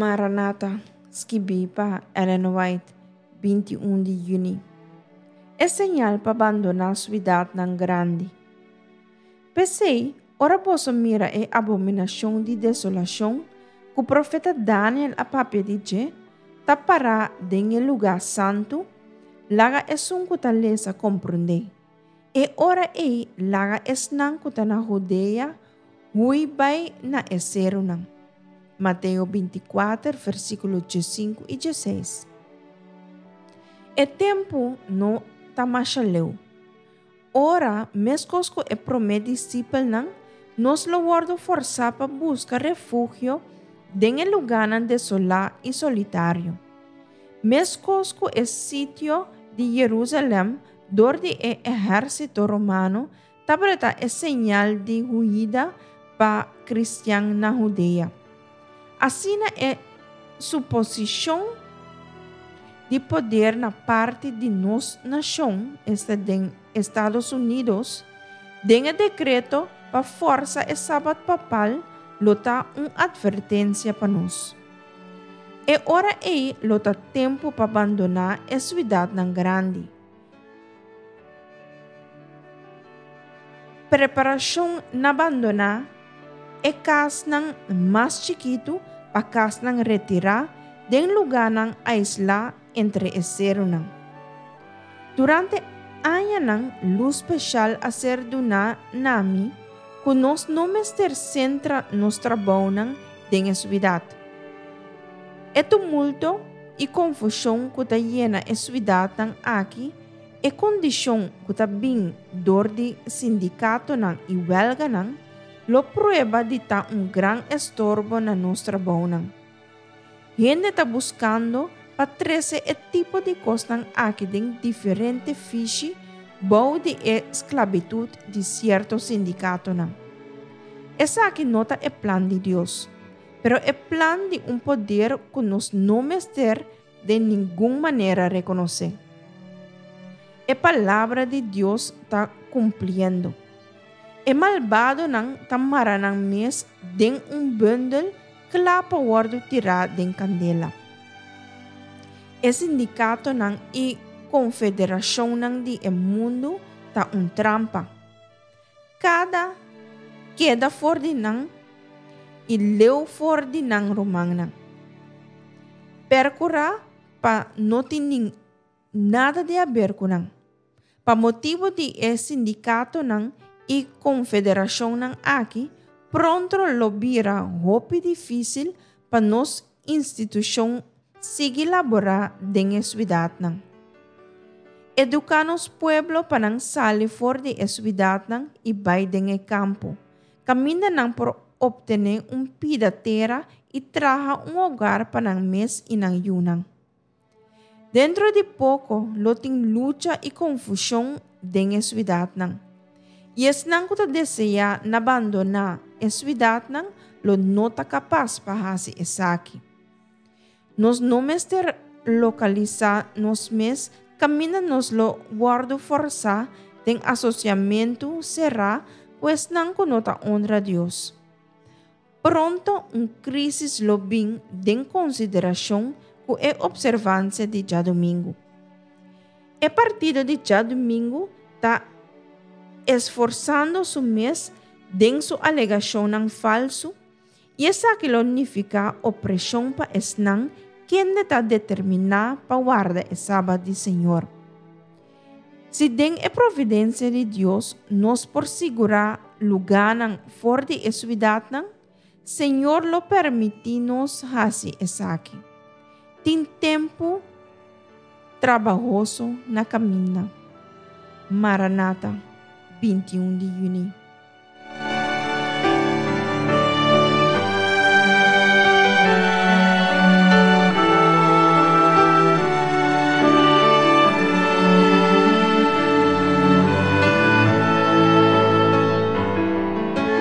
Maranata, skibí pa Ellen White, 21 di yüni. E señal pa bandoná suidatnan grandi. P'esei, ora boso mira e abominashon di desolashon ku profeta Daniel a papia di dje, ta pará den e lugá santu, laga esun ku ta lesa komprondé. E ora ei laga esnan ku ta na Hudea hui bai na e serunan. Mateo 24, versíkulo 15 i 16. E tempu no ta masha leu. Ora, meskos ku e promé disipelnan, nos lo wòrdu fòrsá pa buska refugio den e lugánan desolá i solitario. Meskos ku e sitio di Yerúsalèm dor di e ehérsito romano tabata e señal di huida pa kristian na Hudea. Asina e suposishon di poder na parti di nos nashon, esta den Estados Unidos, den e dekreto pa forsa e Sabat papal lo ta un atvertensia pa nos. E ora ei lo ta tempu pa bandoná e suidatnan grandi. Preparashon na bandoná e kasnan mas chikitu pa kasnan retirá den lugánan aislá entre e serunan. Durante añanan lus speshal a ser duná na mi ku nos no mester sentra nos trabounan den e suidat. E tumulto i konfushon ku ta yena e suidatnan aki, e kondishon ku ta bin dor di sindikatonan i wèlganan, lo prueba di ta un gran estorbo na nos trabounan. Hende ta buskando pa trese e tipo di kosnan aki den diferente fishi bou di e sklabitut di sierto sindikatonan. Esaki no ta e plan di Dios, pero e plan di un poder ku nos no mester den ningun manera rekonosé. E palabra di Dios ta kumpliendo. E malbadonan ta mara nan mes den un bundel kla pa wòrdu tirá den kandela. E sindikatonan i konfederashonnan di e mundu ta un trampa. Kada keda for di nan i leu for di nan rumannan. Perkurá pa no tin nin nada di haber ku nan. Pa motibu di e sindikatonan i konfederashonnan aki, pronto lo bira hopi difísil pa nos institushon sigui laborá den e suidatnan. Eduká nos pueblo pa nan sali for di e suidatnan i bai den e kampo, kaminda nan por optené un pida tera i traha un hogar pa nan mes i nan yunan. Dentro di poko lo tin lucha i konfushon den e suidatnan. I esnan ku ta deseá na bandoná e suidatnan lo no ta kapas pa hasi esaki. Nos no mester lokalisá nos mes kaminda nos lo wòrdu fòrsá den asosiamentu será ku esnan ku no ta onra Dios. Pronto un krísis lo bin den konsiderashon ku e opservansia di djadumingu. E partido di djadumingu ta esforsando su mes den su alegashonnan falsu i esaki lo nifiká opreshon pa esnan kende ta determiná pa warda e Sabat di Señor. Si den e providensia di Dios nos por sigurá lugánan for di e suidatnan, Señor lo permití nos hasi esaki. Tin tempu trabahoso na kaminda. Maranata, 21 di yüni.